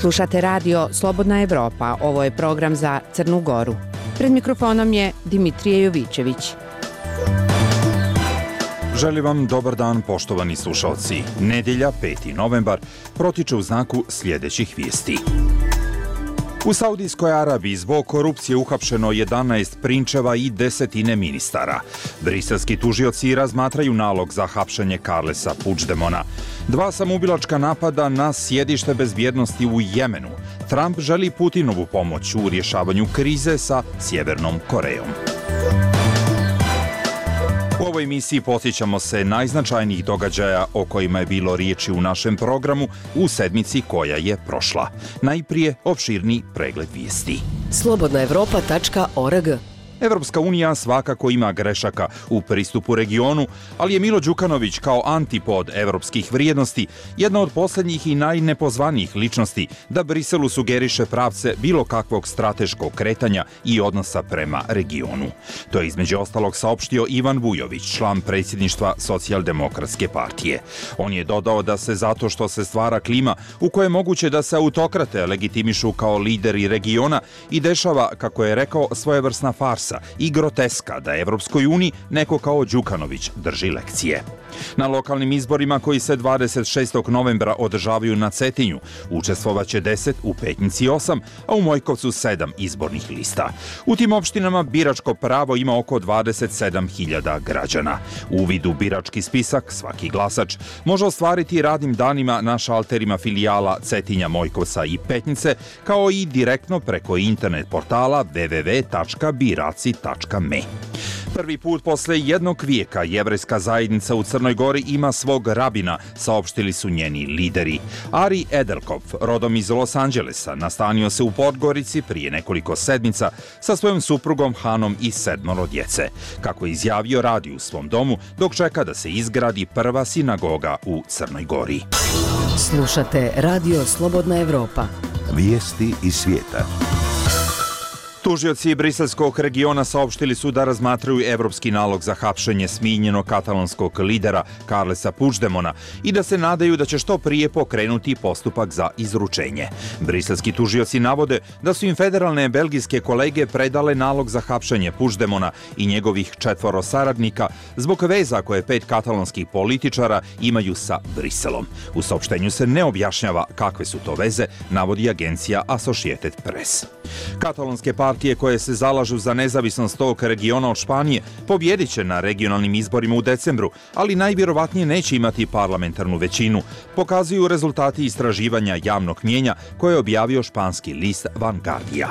Slušate radio Slobodna Evropa, ovo je program za Crnu Goru. Pred mikrofonom je Dimitrije Jovićević. Želim vam dobar dan, poštovani slušalci. Nedjelja, 5. novembar, protiče u znaku sljedećih vijesti. U Saudijskoj Arabiji zbog korupcije uhapšeno 11 prinčeva i desetine ministara. Briselski tužioci razmatraju nalog za hapšenje Carlesa Puigdemona. 2 samoubilačka napada na sjedište bezbjednosti u Jemenu. Trump želi Putinovu pomoć u rješavanju krize sa Sjevernom Korejom. U ovoj emisiji podsjećamo se najznačajnijih događaja o kojima je bilo riječi u našem programu u sedmici koja je prošla. Najprije opširni pregled vijesti. Slobodnaevropa.org. Evropska unija svakako ima grešaka u pristupu regionu, ali je Milo Đukanović kao antipod evropskih vrijednosti jedna od posljednjih i najnepozvanijih ličnosti da Briselu sugeriše pravce bilo kakvog strateškog kretanja i odnosa prema regionu. To je između ostalog saopštio Ivan Vujović, član predsjedništva Socijaldemokratske partije. On je dodao da se zato što se stvara klima u kojoj je moguće da se autokrate legitimišu kao lideri regiona i dešava, kako je rekao, svojevrsna farsa i groteska da Evropskoj uniji neko kao Đukanović drži lekcije. Na lokalnim izborima koji se 26. novembra održavaju na Cetinju učestvovaće 10, u Petnici 8, a u Mojkovcu 7 izbornih lista. U tim opštinama biračko pravo ima oko 27.000 građana. Uvid u birački spisak svaki glasač može ostvariti radnim danima na šalterima filijala Cetinja, Mojkovca i Petnice, kao i direktno preko internet portala www.biraci.me. Prvi put posle jednog vijeka jevrejska zajednica u Crnoj Gori ima svog rabina, saopštili su njeni lideri. Ari Edelkov, rodom iz Los Angelesa, nastanio se u Podgorici prije nekoliko sedmica sa svojom suprugom Hanom i 7 djece. Kako je izjavio, radi u svom domu dok čeka da se izgradi prva sinagoga u Crnoj Gori. Slušate radio Slobodna Evropa. Vijesti iz svijeta. Tužioci briselskog regiona saopštili su da razmatraju evropski nalog za hapšenje smijenjenog katalonskog lidera Carlesa Puigdemona i da se nadaju da će što prije pokrenuti postupak za izručenje. Briselski tužioci navode da su im federalne belgijske kolege predale nalog za hapšenje Puigdemona i njegovih 4 saradnika zbog veza koje 5 katalonskih političara imaju sa Briselom. U saopštenju se ne objašnjava kakve su to veze, navodi agencija Associated Press. Katalonske partije koje se zalažu za nezavisnost tog regiona od Španije pobjedit će na regionalnim izborima u decembru, ali najvjerovatnije neće imati parlamentarnu većinu, pokazuju rezultati istraživanja javnog mnijenja koje je objavio španski list Vanguardia.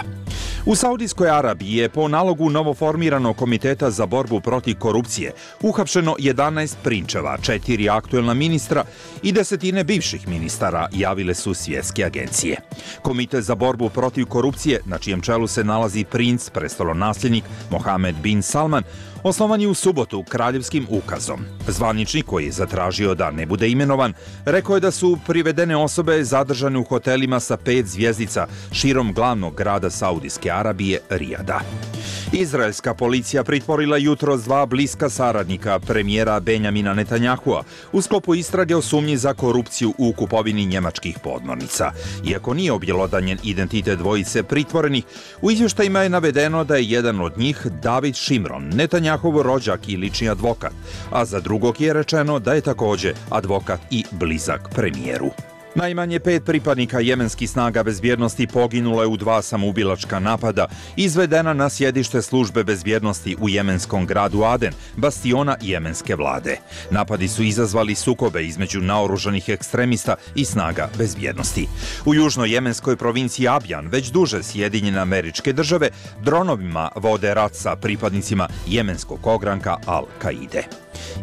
U Saudijskoj Arabiji je po nalogu novoformiranog komiteta za borbu protiv korupcije uhapšeno 11 prinčeva, 4 aktuelna ministra i desetine bivših ministara, javile su svjetske agencije. Komitet za borbu protiv korupcije, na čijem čelu se nalazi princ, prestolonasljednik Mohamed bin Salman, osnovan je u subotu kraljevskim ukazom. Zvaničnik, koji je zatražio da ne bude imenovan, rekao je da su privedene osobe zadržane u hotelima sa 5 zvjezdica širom glavnog grada Saudijske Arabije, Rijada. Izraelska policija pritvorila jutros 2 bliska saradnika premijera Benjamina Netanjahua u sklopu istrage o sumnji za korupciju u kupovini njemačkih podmornica. Iako nije objelodanjen identitet dvojice pritvorenih, u izvještajima je navedeno da je jedan od njih David Šimron, Netanjahov rođak i lični advokat, a za drugog je rečeno da je također advokat i blizak premijeru. Najmanje 5 pripadnika jemenskih snaga bezbjednosti poginulo je u 2 samoubilačka napada izvedena na sjedište službe bezbjednosti u jemenskom gradu Aden, bastiona jemenske vlade. Napadi su izazvali sukobe između naoružanih ekstremista i snaga bezbjednosti. U južnoj jemenskoj provinciji Abjan već duže Sjedinjene Američke Države dronovima vode rat sa pripadnicima jemenskog ogranka Al-Kaide.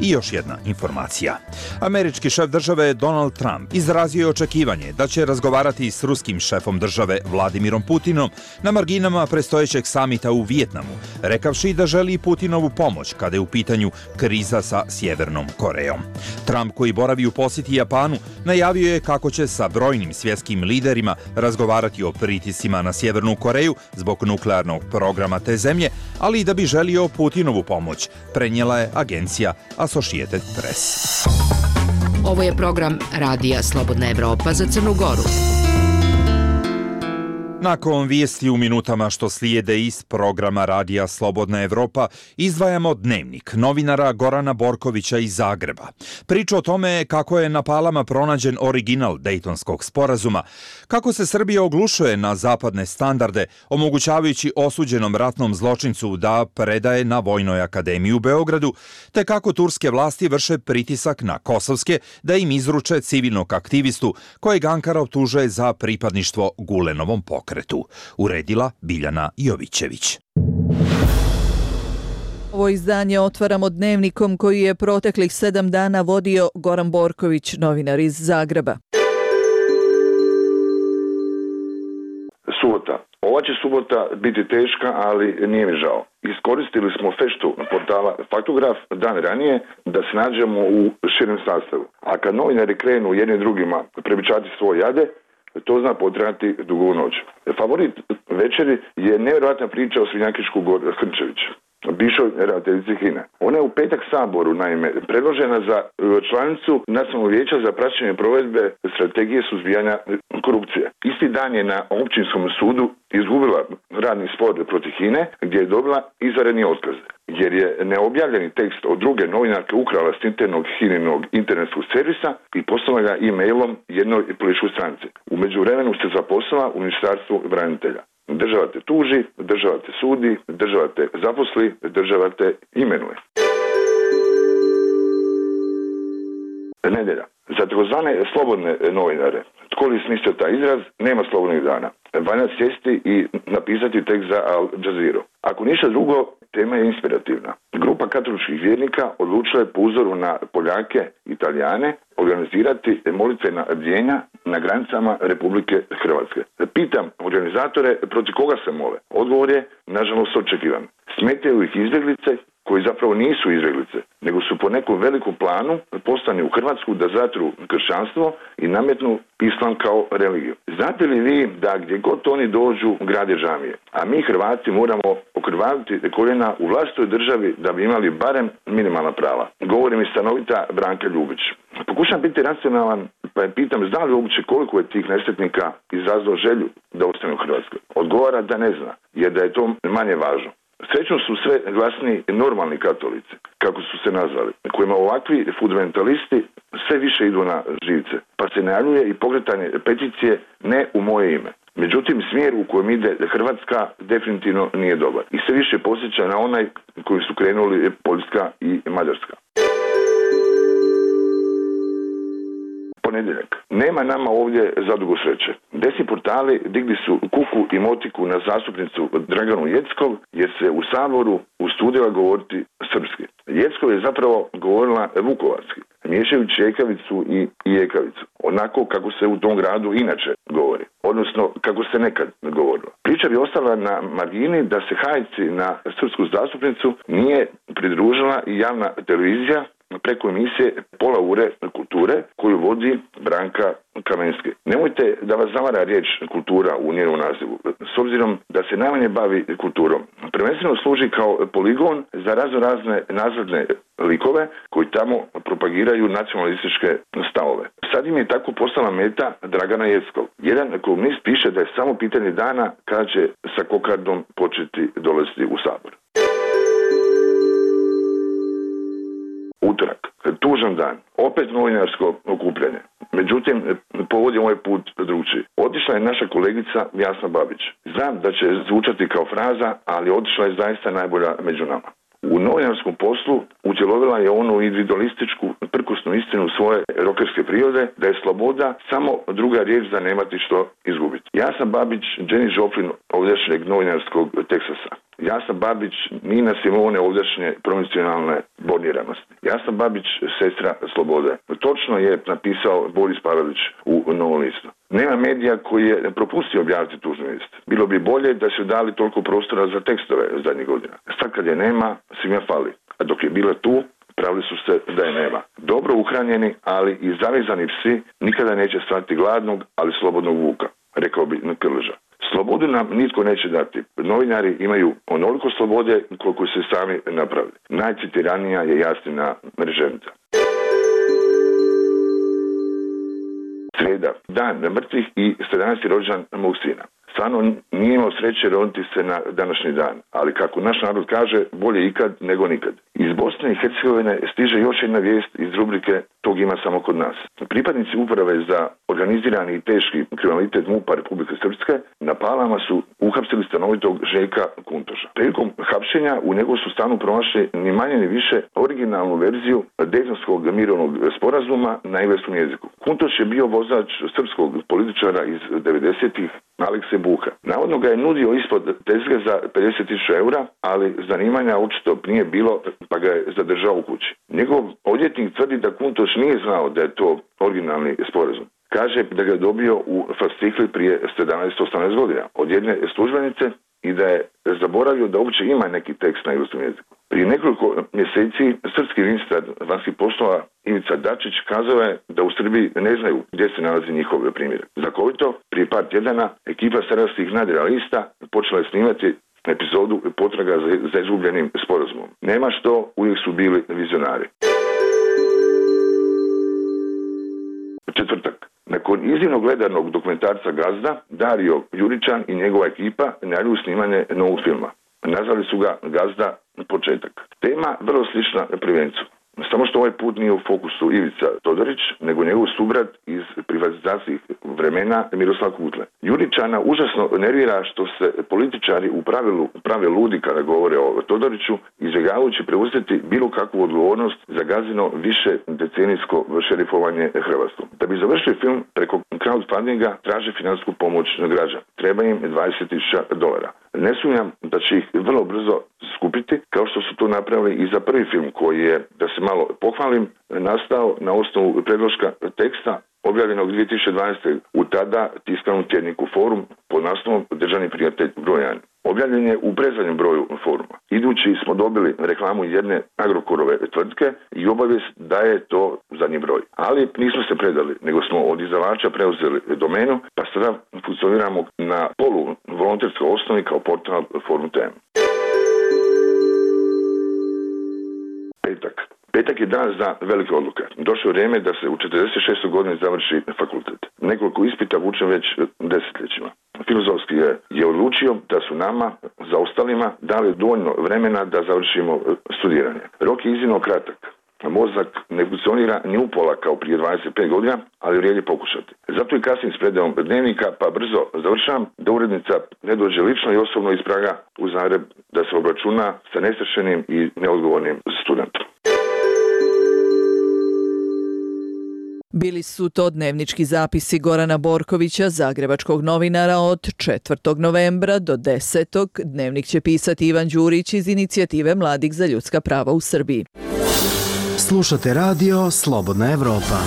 I još jedna informacija. Američki šef države Donald Trump izrazio je očekivanje da će razgovarati s ruskim šefom države Vladimirom Putinom na marginama predstojećeg samita u Vijetnamu, rekavši da želi Putinovu pomoć kada je u pitanju kriza sa Sjevernom Korejom. Trump, koji boravi u posjeti Japanu, najavio je kako će sa brojnim svjetskim liderima razgovarati o pritiscima na Sjevernu Koreju zbog nuklearnog programa te zemlje, ali i da bi želio Putinovu pomoć, prenijela je agencija Associated Press. Ovo je program Radija Slobodna Evropa za Crnu Goru. Nakon vijesti u minutama što slijede iz programa Radija Slobodna Evropa, izdvajamo dnevnik novinara Gorana Borkovića iz Zagreba. Priča o tome kako je na Palama pronađen original Dejtonskog sporazuma, kako se Srbija oglušuje na zapadne standarde, omogućavajući osuđenom ratnom zločincu da predaje na Vojnoj akademiji u Beogradu, te kako turske vlasti vrše pritisak na kosovske da im izruče civilnog aktivistu kojeg Ankara optužuje za pripadništvo Gulenovom pokretu. Uredila Biljana Jovićević. Ovo izdanje otvaramo dnevnikom koji je proteklih 7 dana vodio Goran Borković, novinar iz Zagreba. Subota. Ova će subota biti teška, ali nije mi žao. Iskoristili smo feštu portala Faktograf dan ranije da se nađemo u širem sastavu. A kad novinari krenu jednim drugima prebičati svoje jade, to zna potrajati dugu noć. Favorit večeri je nevjerojatna priča o Svinjakišku Hrčević, bivšoj ravnateljici HINA. Ona je u petak Saboru, naime, predložena za članicu Nacionalnog vijeća za praćenje provedbe strategije suzbijanja korupcije. Isti dan je na općinskom sudu izgubila radni spor protiv HINE, gdje je dobila izvanredni otkaz, jer je neobjavljeni tekst od druge novinarke ukrala s internog HINinog internetskog servisa i poslala ga e-mailom jednoj političkoj stranci. U međuvremenu se zaposlila u Ministarstvu branitelja. Država te tuži, država te sudi, država te zaposli, država te imenuje. Nedjelja. Za takozvane slobodne novinare, tko li smislio taj izraz, nema slobodnih dana. Valja sjesti i napisati tekst za Al Jazeera. Ako ništa drugo, tema je inspirativna. Grupa katoličkih vjernika odlučila je po uzoru na Poljake i Italijane organizirati molitvena bdjenja na granicama Republike Hrvatske. Pitam organizatore protiv koga se mole. Odgovor je, nažalost, očekivan. Smetaju ih izbjeglice koji zapravo nisu izbjeglice, nego su po nekom velikom planu poslani u Hrvatsku da zatru kršćanstvo i nametnu islam kao religiju. Znate li vi da gdje god oni dođu grade džamije, a mi Hrvati moramo okrvaviti koljena u vlastitoj državi da bi imali barem minimalna prava? Govori mi stanovita Branka Ljubić. Pokušam biti racionalan, pa je pitam zna li uopće koliko je tih nesretnika izazvalo želju da ostane u Hrvatskoj. Odgovara da ne zna, jer da je to manje važno. Srećno su sve glasni normalni katolici, kako su se nazvali, kojima ovakvi fundamentalisti sve više idu na živce, pa se najavljuje i pokretanje peticije ne u moje ime. Međutim, smjer u kojem ide Hrvatska definitivno nije dobar i sve više posjeća na onaj koji su krenuli Poljska i Mađarska. Ponedjeljak. Nema nama ovdje zadugo sreće. Desni portali digli su kuku i motiku na zastupnicu Draganu Jeckov jer se u Saboru ustudila govoriti srpski. Jeckov je zapravo govorila vukovarski, miješajući ekavicu i ekavicu. Onako kako se u tom gradu inače govori, odnosno kako se nekad govorilo. Priča bi ostala na margini da se hajci na srpsku zastupnicu nije pridružila i javna televizija preko emisije Pola ure kulture koju vodi Branka Kamenski. Nemojte da vas zavara riječ kultura u njenom nazivu, s obzirom da se najmanje bavi kulturom. Prvenstveno služi kao poligon za razne nazadne likove koji tamo propagiraju nacionalističke stavove. Sad im je tako postala meta Dragana Jeckov. Jedan komunist piše da je samo pitanje dana kada će sa kokardom početi dolaziti u Sabor. Utorak. Tužan dan. Opet novinarsko okupljanje. Međutim, povod je moj put drugčiji. Otišla je naša kolegica Jasna Babić. Znam da će zvučati kao fraza, ali otišla je zaista najbolja među nama. U novinarskom poslu utjelovila je onu individualističku prkosnu istinu svoje rokerske prirode da je sloboda samo druga riječ za nemati što izgubiti. Jasna Babić, Jenny Joplin ovdješnjeg novinarskog Teksasa. Jasna Babić, Nina Simone ovdješnje provincijalne borniranosti. Jasna Babić, sestra slobode. Točno je napisao Boris Pavelić u Novom listu. Nema medija koji je propustio objaviti tužnu vijest. Bilo bi bolje da su dali toliko prostora za tekstove zadnjih godina. Sad kad je nema, svima fali. A dok je bila tu, pravili su se da je nema. Dobro uhranjeni, ali i zavezani psi nikada neće stati gladnog, ali slobodnog vuka, rekao bi Krleža. Slobodu nam nitko neće dati. Novinari imaju onoliko slobode koliko se sami napravili. Najcitiranija je Jasnina Mreženica. Srijeda, dan mrtvih i 17. rođendan mog sina. Stvarno nije imao sreće roditi se na današnji dan, ali kako naš narod kaže, bolje ikad nego nikad. Iz Bosne i Hercegovine stiže još jedna vijest iz rubrike "Tog ima samo kod nas". Pripadnici uprave za organizirani i teški kriminalitet MUP-a Republike Srpske na Palama su uhapsili stanovitog Željka Kuntoša. Prilikom hapšenja u njegovu su stanu pronašli ni manje ni više originalnu verziju Dejtonskog mirovnog sporazuma na engleskom jeziku. Kuntoš je bio vozač srpskog političara iz 90-ih Alekse Buha. Navodno ga je nudio ispod tezge za 50.000 eura, ali zanimanja očito nije bilo, pa ga je zadržao u kući. Njegov odvjetnik tvrdi da Kuntoš nije znao da je to originalni sporazum. Kaže da ga je dobio u fascikli prije 17-18 godina od jedne službenice i da je zaboravio da uopće ima neki tekst na engleskom jeziku. Prije nekoliko mjeseci srpski ministar vanjskih poslova Ivica Dačić kazao je da u Srbiji ne znaju gdje se nalazi njihov primjerak. Znakovito, prije par tjedana ekipa sarajevskih nadrealista počela je snimati epizodu potraga za izgubljenim sporazumom. Nema što, uvijek su bili vizionari. Četvrtak. Nakon iznimno gledanog dokumentarca Gazda, Dario Juričan i njegova ekipa najavljuju snimanje novog filma. Nazvali su ga Gazda početak. Tema vrlo slična Prvencu. Samo što ovaj put nije u fokusu Ivica Todorić, nego njegov subrat iz privatizacijskih vremena Miroslav Kutle. Juričana užasno nervira što se političari u pravilu prave ludi kada govore o Todoriću, izbjegavajući preuzeti bilo kakvu odgovornost za Gazino više decenijsko šerifovanje Hrvatskom. Da bi završili film, preko crowdfundinga traže financijsku pomoć građana. Treba im $20.000. Ne sumnjam da će ih vrlo brzo skupiti, kao što su to napravili i za prvi film koji je, da se malo pohvalim, nastao na osnovu predloška teksta objavljenog 2012. u tada tiskanom tjedniku Forum pod naslovom Državni prijatelj broj 1. Objavljen je u predzadnjem broju Foruma. Idući smo dobili reklamu jedne Agrokorove tvrtke i obavijest da je to zadnji broj. Ali nismo se predali, nego smo od izdavača preuzeli domenu, pa sada funkcioniramo na volonterskoj osnovi kao portal Forum TM. Petak je dan za velike odluke. Došlo je vrijeme da se u 46. godini završi fakultet. Nekoliko ispita vučem već desetljećima. Filozofski je odlučio da su nama, za ostalima, dali dovoljno vremena da završimo studiranje. Rok je iznimno kratak. Mozak ne funkcionira ni upola kao prije 25 godina, ali vrijedi pokušati. Zato i kasnim s predajom dnevnika, pa brzo završavam da urednica ne dođe lično i osobno iz Praga u Zagreb da se obračuna sa nestršenim i neodgovornim studentom. Bili su to dnevnički zapisi Gorana Borkovića, zagrebačkog novinara, od 4. novembra do 10. Dnevnik će pisati Ivan Đurić iz inicijative Mladih za ljudska prava u Srbiji. Slušate radio Slobodna Evropa.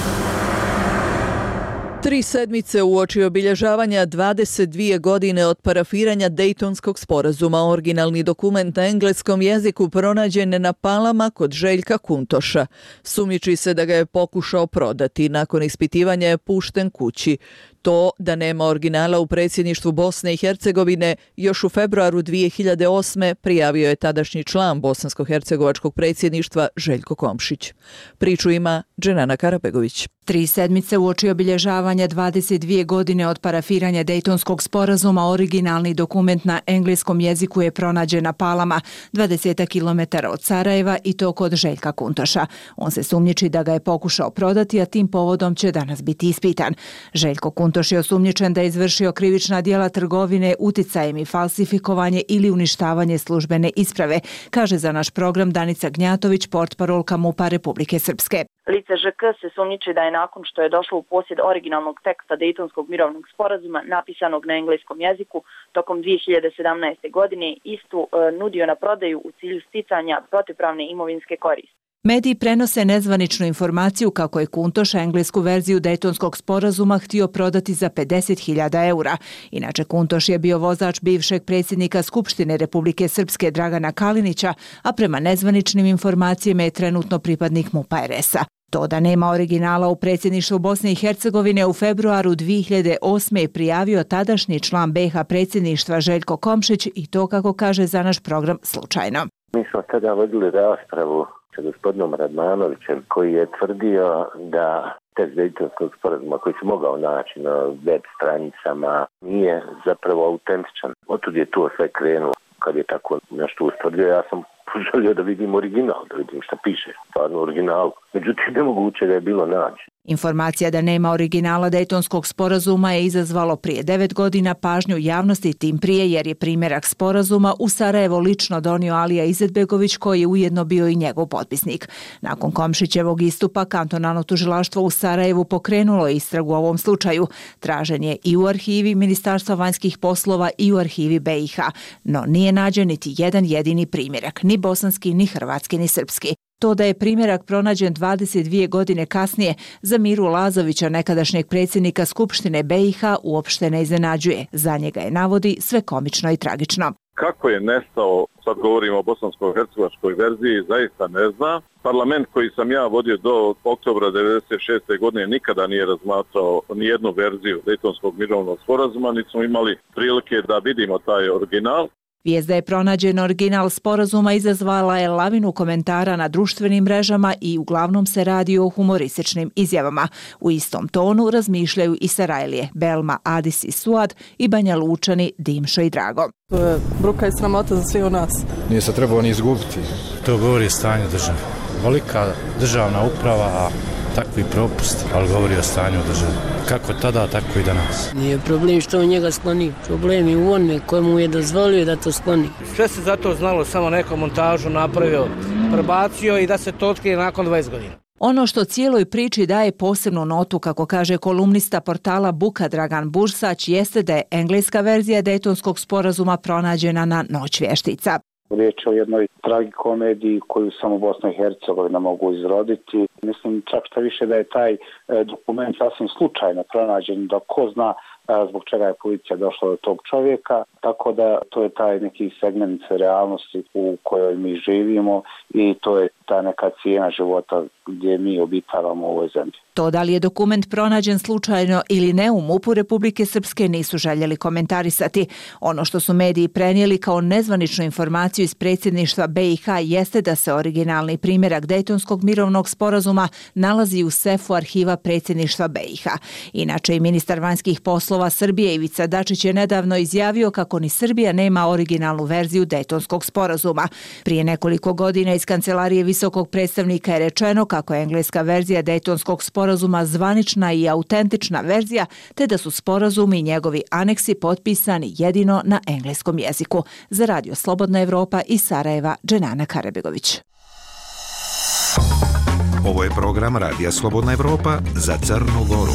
3 sedmice uoči obilježavanja 22 godine od parafiranja Dejtonskog sporazuma, originalni dokument na engleskom jeziku pronađen na Palama kod Željka Kuntoša. Sumnjiči se da ga je pokušao prodati. Nakon ispitivanja je pušten kući. To da nema originala u predsjedništvu Bosne i Hercegovine još u februaru 2008. prijavio je tadašnji član bosansko-hercegovačkog predsjedništva Željko Komšić. Priču ima Dženana Karabegović. 3 sedmice uoči obilježavanja 22 godine od parafiranja Dejtonskog sporazuma, originalni dokument na engleskom jeziku je pronađen na Palama, 20 km od Sarajeva, i to kod Željka Kuntoša. On se sumnjiči da ga je pokušao prodati, a tim povodom će danas biti ispitan. Željko Kuntoš je osumnjičen da je izvršio krivična djela trgovine uticajem i falsifikovanje ili uništavanje službene isprave, kaže za naš program Danica Gnjatović, portparolka MUP-a Republike Srpske. Lice ŽK se sumnjiči da je nakon što je došlo u posjed originalnog teksta Dejtonskog mirovnog sporazuma napisanog na engleskom jeziku tokom 2017. godine istu nudio na prodaju u cilju sticanja protivpravne imovinske koristi. Mediji prenose nezvaničnu informaciju kako je Kuntoš englesku verziju Dejtonskog sporazuma htio prodati za 50.000 eura. Inače, Kuntoš je bio vozač bivšeg predsjednika Skupštine Republike Srpske Dragana Kalinića, a prema nezvaničnim informacijama je trenutno pripadnik MUP-a RS-a. To da nema originala u predsjedništvu Bosne i Hercegovine u februaru 2008. je prijavio tadašnji član BiH predsjedništva Željko Komšić, i to, kako kaže za naš program, slučajno. Mi smo tada vodili raspravu sa gospodinom Radmanovićem, koji je tvrdio da tekst Dejtonskog sporazuma koji se mogao naći na web stranicama nije zapravo autentičan. Otud je to sve krenulo. Kad je tako nešto ustvrdio, ja sam želio da vidim original, da vidim šta piše, stvarno originalu. Međutim, nemoguće da je bilo naći. Informacija da nema originala Dejtonskog sporazuma je izazvalo prije 9 godina pažnju javnosti, tim prije jer je primjerak sporazuma u Sarajevo lično donio Alija Izetbegović, koji je ujedno bio i njegov potpisnik. Nakon Komšićevog istupa, kantonalno tužilaštvo u Sarajevu pokrenulo je istragu u ovom slučaju. Tražen je i u arhivi Ministarstva vanjskih poslova i u arhivi BiH, no nije nađen niti jedan jedini primjerak, ni bosanski, ni hrvatski, ni srpski. To da je primjerak pronađen 22 godine kasnije za Miru Lazovića, nekadašnjeg predsjednika Skupštine BiH, uopšte ne iznenađuje. Za njega je, navodi, sve komično i tragično. Kako je nestao, sad govorimo o bosansko-hercegovačkoj verziji, zaista ne znam. Parlament koji sam ja vodio do oktobra 1996. godine nikada nije razmatrao nijednu verziju Dejtonskog mirovnog sporazuma, niti smo imali prilike da vidimo taj original. Vijest da je pronađen original sporazuma izazvala je lavinu komentara na društvenim mrežama i uglavnom se radi o humorističnim izjavama. U istom tonu razmišljaju i Sarajlije, Belma, Adis i Suad i Banja Lučani, Dimšo i Drago. To je bruka i sramota za sve u nas. Nije se trebao ni izgubiti. To govori o stanju države. Velika državna uprava, a takvi propusti, ali govori o stanju države. Kako tada, tako i danas. Nije problem što on njega skloni. Problem je u onome kojemu je dozvolio da to skloni. Sve se zato znalo, samo neku montažu napravio, prebacio i da se to otkrije nakon 20 godina. Ono što cijeloj priči daje posebnu notu, kako kaže kolumnista portala Buka Dragan Bursać, jeste da je engleska verzija Dejtonskog sporazuma pronađena na Noć vještica. Riječ je o jednoj tragikomediji koju samo Bosna i Hercegovina mogu izroditi. Mislim čak šta više da je taj dokument sasvim slučajno pronađen, da ko zna zbog čega je policija došla do tog čovjeka, tako da to je taj neki segment realnosti u kojoj mi živimo i to je ta neka cijena života gdje mi obitavamo u ovoj zemlji. To da li je dokument pronađen slučajno ili ne u MUP-u Republike Srpske nisu željeli komentarisati. Ono što su mediji prenijeli kao nezvaničnu informaciju iz predsjedništva BiH jeste da se originalni primjerak Dejtonskog mirovnog sporazuma nalazi u sefu arhiva predsjedništva BiH. Inače i ministar vanjskih poslova Srbije Ivica Dačić je nedavno izjavio kako ni Srbija nema originalnu verziju Dejtonskog sporazuma. Prije nekoliko godina iz kancelarije visokog predstavnika je rečeno kako je engleska verzija Dejtonskog sporazuma zvanična i autentična verzija, te da su sporazumi i njegovi aneksi potpisani jedino na engleskom jeziku. Za Radio Slobodna Evropa iz Sarajeva, Dženana Karabegović. Ovo je program Radija Slobodna Evropa za Crnu Goru.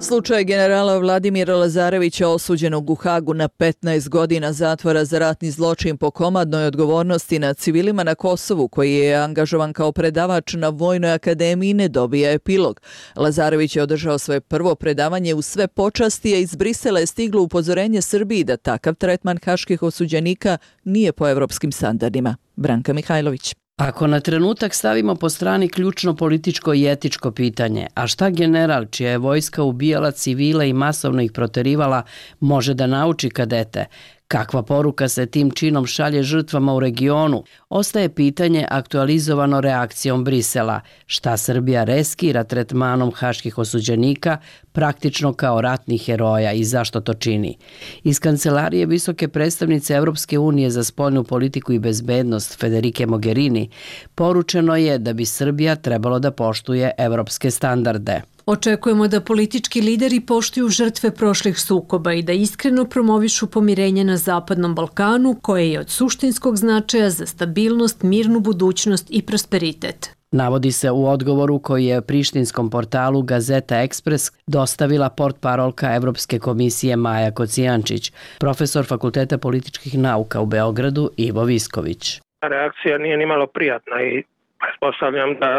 Slučaj generala Vladimira Lazarevića osuđenog u Hagu na 15 godina zatvora za ratni zločin po komandnoj odgovornosti nad civilima na Kosovu, koji je angažovan kao predavač na Vojnoj akademiji, ne dobija epilog. Lazarević je održao svoje prvo predavanje u sve počasti, a iz Brisela je stiglo upozorenje Srbiji da takav tretman haških osuđenika nije po evropskim standardima. Branka Mihajlović. Ako na trenutak stavimo po strani ključno političko i etičko pitanje, a šta general čija je vojska ubijala civile i masovno ih proterivala može da nauči kadete? Kakva poruka se tim činom šalje žrtvama u regionu? Ostaje pitanje aktualizovano reakcijom Brisela. Šta Srbija riskira tretmanom haških osuđenika praktično kao ratnih heroja i zašto to čini? Iz kancelarije visoke predstavnice Evropske unije za spoljnu politiku i bezbednost Federike Mogherini poručeno je da bi Srbija trebalo da poštuje evropske standarde. Očekujemo da politički lideri poštuju žrtve prošlih sukoba i da iskreno promovišu pomirenje na Zapadnom Balkanu, koje je od suštinskog značaja za stabilnost, mirnu budućnost i prosperitet. Navodi se u odgovoru koji je prištinskom portalu Gazeta Ekspres dostavila portparolka Evropske komisije Maja Kocijančić, profesor Fakulteta političkih nauka u Beogradu Ivo Visković. Reakcija nije ni malo prijatna i pretpostavljam da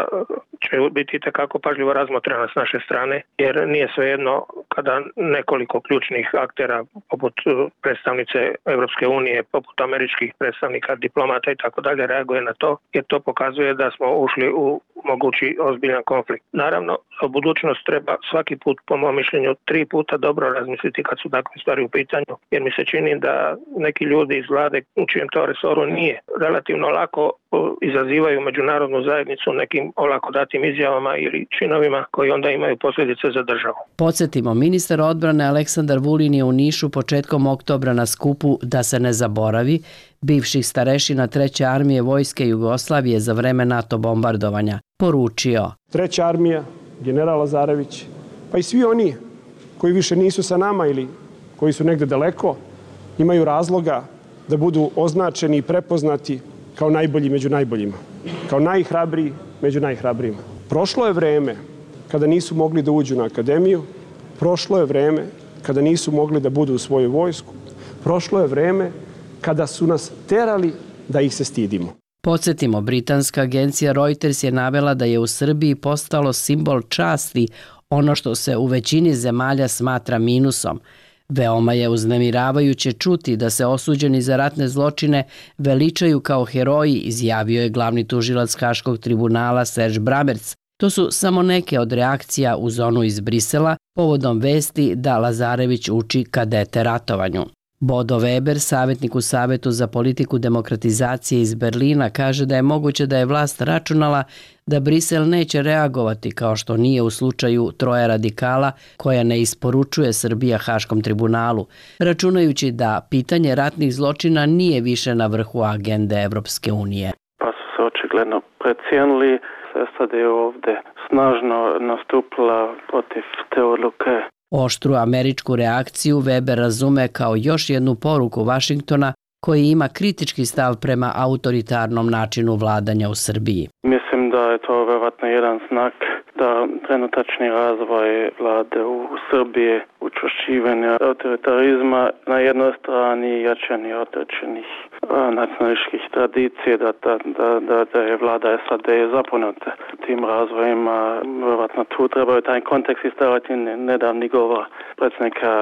će biti itekako pažljivo razmotrena s naše strane, jer nije svejedno kada nekoliko ključnih aktera poput predstavnice Evropske unije, poput američkih predstavnika, diplomata i tako dalje reaguje na to, jer to pokazuje da smo ušli u mogući ozbiljan konflikt. Naravno, o budućnost treba svaki put, po mom mišljenju, 3 puta dobro razmisliti kad su takve stvari u pitanju, jer mi se čini da neki ljudi iz vlade u čijem to resoru nije relativno lako izazivaju međunarodnu međunarodnu zajednicu nekim olako datim izjavama ili činovima koji onda imaju posljedice za državu. Podsjetimo, ministar odbrane Aleksandar Vulin je u Nišu početkom oktobra na skupu Da se ne zaboravi bivših starešina 3. armije Vojske Jugoslavije za vreme NATO bombardovanja poručio: 3. armija, general Lazarević, pa i svi oni koji više nisu sa nama ili koji su negde daleko, imaju razloga da budu označeni i prepoznati kao najbolji među najboljima, kao najhrabriji među najhrabrijima. Prošlo je vreme kada nisu mogli da uđu na akademiju, prošlo je vreme kada nisu mogli da budu u svoju vojsku, prošlo je vreme kada su nas terali da ih se stidimo. Podsjetimo, britanska agencija Reuters je navela da je u Srbiji postalo simbol časti ono što se u većini zemalja smatra minusom. Veoma je uznemiravajuće čuti da se osuđeni za ratne zločine veličaju kao heroji, izjavio je glavni tužilac Haškog tribunala Serge Bramertz. To su samo neke od reakcija u zonu iz Brisela povodom vesti da Lazarević uči kadete ratovanju. Bodo Weber, savjetnik u Savetu za politiku demokratizacije iz Berlina, kaže da je moguće da je vlast računala da Brisel neće reagovati kao što nije u slučaju 3 radikala koja ne isporučuje Srbija Haškom tribunalu, računajući da pitanje ratnih zločina nije više na vrhu agende Evropske unije. Pa su se očigledno precijenili. SAD je ovdje snažno nastupila protiv te odluke. Oštru američku reakciju Weber razume kao još jednu poruku Vašingtona koji ima kritički stav prema autoritarnom načinu vladanja u Srbiji. Mislim da je to vjerojatno jedan znak da trenutačni razvoj vlade u Srbiji, učvršćivanje autoritarizma na jednoj strani i jačanje određenih nacionalističkih tradicije, da je vlada SAD zapomenuta tim razvojima. Vjerojatno tu trebaju taj kontekst istaviti nedavni govor predsjednika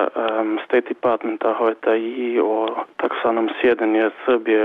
State Departmenta Hojta i o taksanom sjedenju Srbije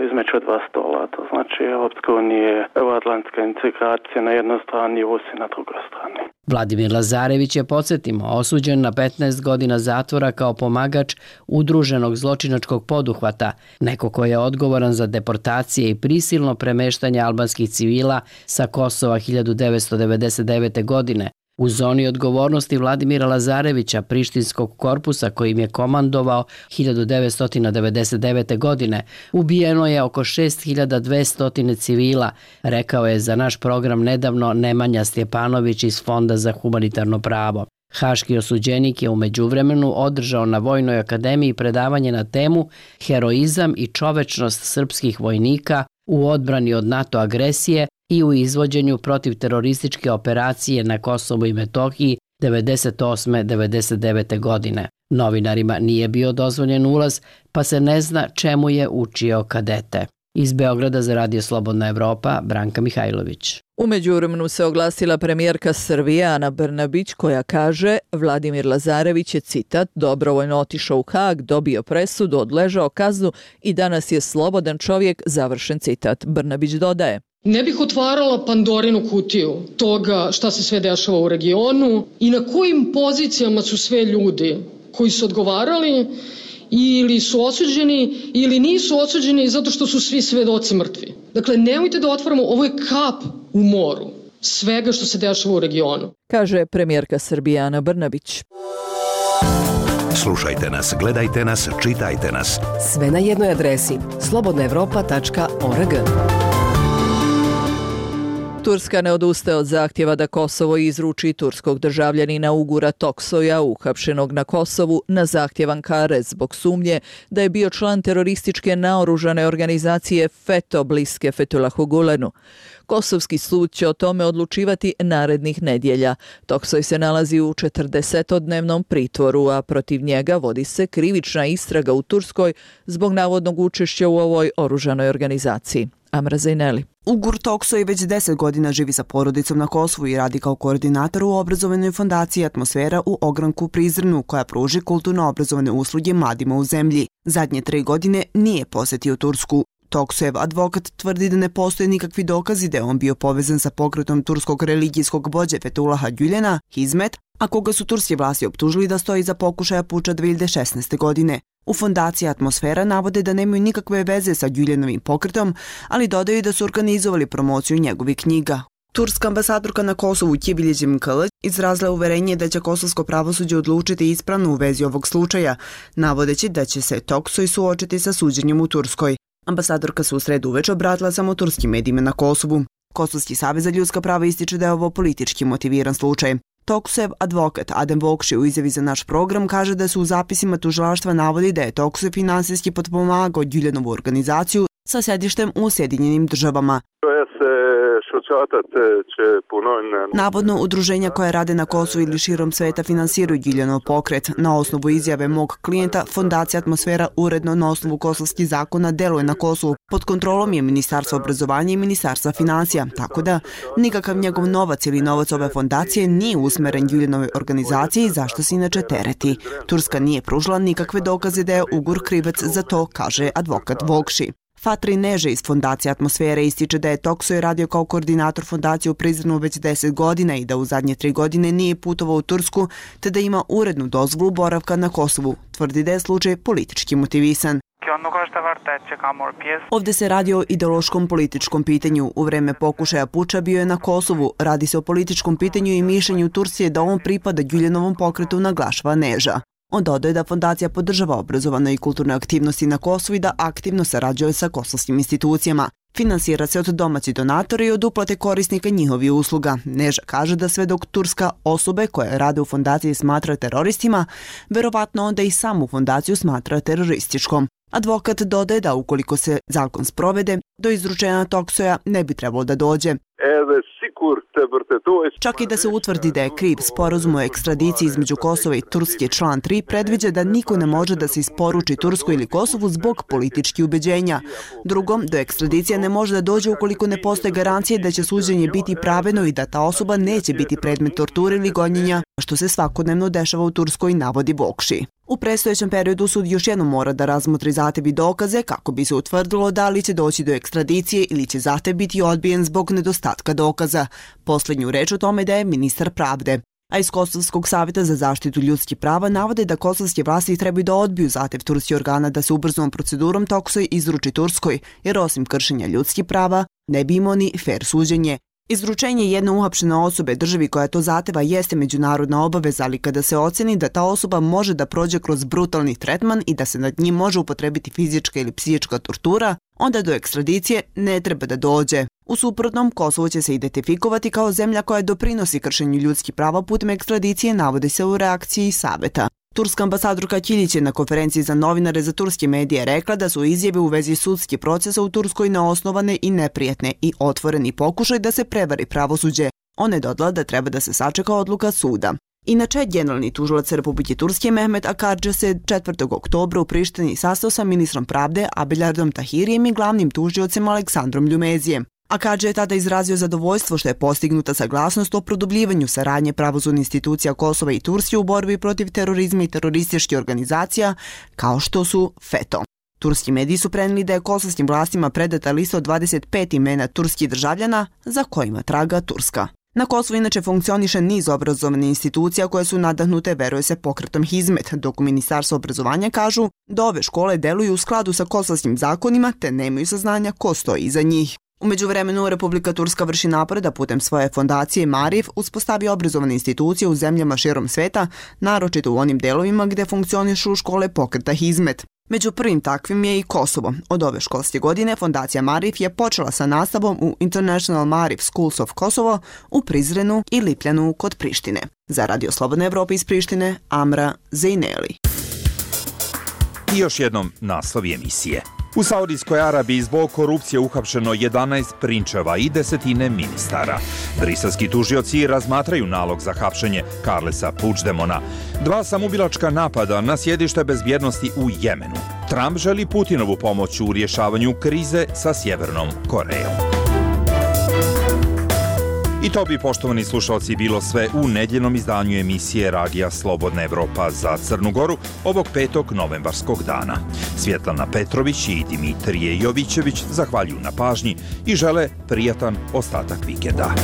između 2 stola. To znači Europska unija, euroatlantska integracija na jednoj strani i Rusija na drugoj strani. Vladimir Lazarević je, podsjetimo, osuđen na 15 godina zatvora kao pomagač udruženog zločinačkog poduhvata, neko ko je odgovoran za deportacije i prisilno premeštanje albanskih civila sa Kosova 1999. godine. U zoni odgovornosti Vladimira Lazarevića, prištinskog korpusa kojim je komandovao 1999. godine, ubijeno je oko 6200 civila, rekao je za naš program nedavno Nemanja Stjepanović iz Fonda za humanitarno pravo. Haški osuđenik je u međuvremenu održao na Vojnoj akademiji predavanje na temu Heroizam i čovečnost srpskih vojnika u odbrani od NATO agresije i u izvođenju protiv terorističke operacije na Kosovu i Metohiji 98-99. godine. Novinarima nije bio dozvoljen ulaz, pa se ne zna čemu je učio kadete. Iz Beograda za Radio Slobodna Evropa, Branka Mihajlović. U međuvremenu se oglasila premijerka Srbije Ana Brnabić koja kaže Vladimir Lazarević je, citat, dobrovoljno otišao u Hag, dobio presudu, odležao kaznu i danas je slobodan čovjek, završen citat. Brnabić dodaje: Ne bih otvarala Pandorinu kutiju toga šta se sve dešava u regionu i na kojim pozicijama su sve ljudi koji su odgovarali ili su osuđeni ili nisu osuđeni zato što su svi svedoci mrtvi. Dakle, nemojte da otvaramo, ovo je kap u moru svega što se dešava u regionu. Kaže premijerka Srbije Ana Brnabić. Slušajte nas, gledajte nas, čitajte nas. Sve na jednoj adresi slobodnaevropa.org. Turska ne odustaje od zahtjeva da Kosovo izruči turskog državljanina Ugura Toksoja, uhapšenog na Kosovu, na zahtjev Ankare zbog sumnje da je bio član terorističke naoružane organizacije FETO bliske Fethulahu Gulenu. Kosovski sud će o tome odlučivati narednih nedjelja. Toksoj se nalazi u 40-dnevnom pritvoru, a protiv njega vodi se krivična istraga u Turskoj zbog navodnog učešća u ovoj oružanoj organizaciji. Amra Zajneli. Ugur Toksoj već 10 godina živi sa porodicom na Kosovu i radi kao koordinator u obrazovanoj fondaciji Atmosfera u ogranku Prizrenu, koja pruži kulturno-obrazovane usluge mladima u zemlji. Zadnje 3 godine nije posjetio Tursku. Toksojev advokat tvrdi da ne postoje nikakvi dokazi da je on bio povezan sa pokretom turskog religijskog vođe Fethullaha Gülena, Hizmet, a koga su turske vlasti optužili da stoji za pokušaja puča 2016. godine. U fondaciji Atmosfera navode da nemaju nikakve veze sa Güllenovim pokretom, ali dodaju da su organizovali promociju njegovih knjiga. Turska ambasadorka na Kosovu Kibiljeđim Kılıç izrazila uverenje da će kosovsko pravosuđe odlučiti ispravno u vezi ovog slučaja, navodeći da će se Toksoj suočiti sa suđenjem u Turskoj. Ambasadorka se u sredu uveče obratila samo turskim medijima na Kosovu. Kosovski savez za ljudska prava ističe da je ovo politički motiviran slučaj. Toksojev advokat Adem Vokši u izjavi za naš program kaže da su u zapisima tužilaštva navodi da je Toksojev finansijski potpomagao Güllenovu organizaciju sa sedištem u Sjedinjenim Državama. Navodno, udruženja koja rade na Kosovu ili širom sveta finansiraju Güllenov pokret. Na osnovu izjave mog klijenta, fondacija Atmosfera uredno na osnovu kosovskih zakona deluje na Kosovu. Pod kontrolom je Ministarstva obrazovanja i Ministarstva financija, tako da nikakav njegov novac ili novac ove fondacije nije usmeren Güllenovoj organizaciji, zašto se inače tereti. Turska nije pružila nikakve dokaze da je Ugur krivac za to, kaže advokat Vokši. Fatri Neže iz fondacije Atmosfere ističe da je Toksoj radio kao koordinator fondacije u Prizrenu već 10 godina i da u zadnje 3 godine nije putovao u Tursku, te da ima urednu dozvolu boravka na Kosovu. Tvrdi da je slučaj politički motivisan. Ovdje se radi o ideološkom političkom pitanju. U vreme pokušaja puča bio je na Kosovu. Radi se o političkom pitanju i mišljenju Turcije da on pripada Güllenovom pokretu, naglašava Neža. On dodaje da fondacija podržava obrazovane i kulturne aktivnosti na Kosovu i da aktivno sarađuje sa kosovskim institucijama. Finansira se od domaćih donatora i od uplate korisnika njihovih usluga. Neža kaže da sve dok Turska osobe koje rade u fondaciji smatra teroristima, verovatno onda i samu fondaciju smatra terorističkom. Advokat dodaje da ukoliko se zakon sprovede, do izručenja Toksoja ne bi trebalo da dođe. Čak i da se utvrdi da je kriv, sporazum o ekstradiciji između Kosova i Turske član 3 predviđa da niko ne može da se isporuči Turskoj ili Kosovu zbog političkih ubeđenja. Drugom, do ekstradicija ne može da dođe ukoliko ne postoje garancije da će suđenje biti pravedno i da ta osoba neće biti predmet torture ili gonjenja, što se svakodnevno dešava u Turskoj, navodi Vokši. U predstojećem periodu sud još jednom mora da razmotri zahtev i dokaze kako bi se utvrdilo da li će doći do ekstradicije ili će zahtev biti odbijen zbog nedostatka dokaza. Posljednju reč o tome daje ministar pravde. A iz Kosovskog savjeta za zaštitu ljudskih prava navode da kosovske vlasti trebaju da odbiju zahtev turskih organa da se ubrzanom procedurom Toksoj izruči Turskoj, jer osim kršenja ljudskih prava ne bi imao ni fer suđenje. Izručenje jedne uhapšene osobe državi koja to zahteva jeste međunarodna obaveza, ali kada se oceni da ta osoba može da prođe kroz brutalni tretman i da se nad njim može upotrebiti fizička ili psihička tortura, onda do ekstradicije ne treba da dođe. U suprotnom, Kosovo će se identifikovati kao zemlja koja doprinosi kršenju ljudskih prava putem ekstradicije, navodi se u reakciji saveta. Turska ambasadorka Kilić je na konferenciji za novinare za turske medije rekla da su izjave u vezi sudskih procesa u Turskoj neosnovane i neprijatne i otvoreni pokušaj da se prevari pravosuđe. Ona je dodala da treba da se sačeka odluka suda. Inače, generalni tužilac Republike Turske Mehmet Akarđa se 4. oktobra u Prištini sastao sa ministrom pravde Abelardom Tahirijem i glavnim tužiocem Aleksandrom Ljumezijem. Akarđa je tada izrazio zadovoljstvo što je postignuta saglasnost o produbljivanju saradnje pravosudnih institucija Kosova i Turske u borbi protiv terorizma i terorističkih organizacija kao što su FETO. Turski mediji su prenijeli da je kosovskim vlastima predata lista od 25 imena turskih državljana za kojima traga Turska. Na Kosovu inače funkcioniše niz obrazovnih institucija koje su nadahnute, veruje se, pokretom Hizmet, dok u Ministarstvu obrazovanja kažu da ove škole deluju u skladu sa kosovskim zakonima te nemaju saznanja ko stoji iza njih. U međuvremenu, Republika Turska vrši napore da putem svoje fondacije Marif uspostavi obrazovane institucije u zemljama širom sveta, naročito u onim delovima gde funkcionišu škole pokreta Hizmet. Među prvim takvim je i Kosovo. Od ove školske godine fondacija Marif je počela sa nastavom u International Marif Schools of Kosovo u Prizrenu i Lipljanu kod Prištine. Za Radio Slobodne Evrope iz Prištine, Amra Zejneli. I još jednom naslovi emisije. U Saudijskoj Arabiji zbog korupcije uhapšeno 11 prinčeva i 10 ministara. Briselski tužioci razmatraju nalog za hapšenje Carlesa Puigdemona. 2 samoubilačka napada na sjedište bezbjednosti u Jemenu. Trump želi Putinovu pomoć u rješavanju krize sa Sjevernom Korejom. I to bi, poštovani slušalci, bilo sve u nedjeljnom izdanju emisije Radija Slobodna Evropa za Crnu Goru ovog 5. novembarskog dana. Svjetlana Petrović i Dimitrije Jovićević zahvaljuju na pažnji i žele prijatan ostatak vikenda.